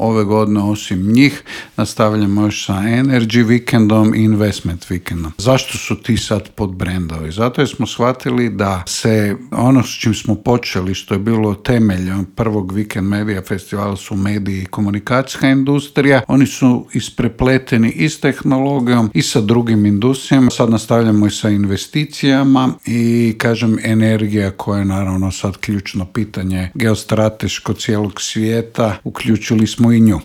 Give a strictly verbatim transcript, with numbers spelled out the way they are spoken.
ove godine osim njih nastavljamo još sa Energy Weekendom i Investment Weekendom. Zašto su ti sad pod brendovi? Zato jer smo shvatili da se ono s čim smo počeli, što je bilo temelj prvog Weekend Media festivala, su mediji i komunikacijska industrija. Oni su isprepleteni i s tehnologijom i sa drugim industrijama. Sad nastavljamo i sa investicijama i kažem energija koja je naravno sad ključno pitanje geostrateško cijelog svijeta. Uključili smo i nju.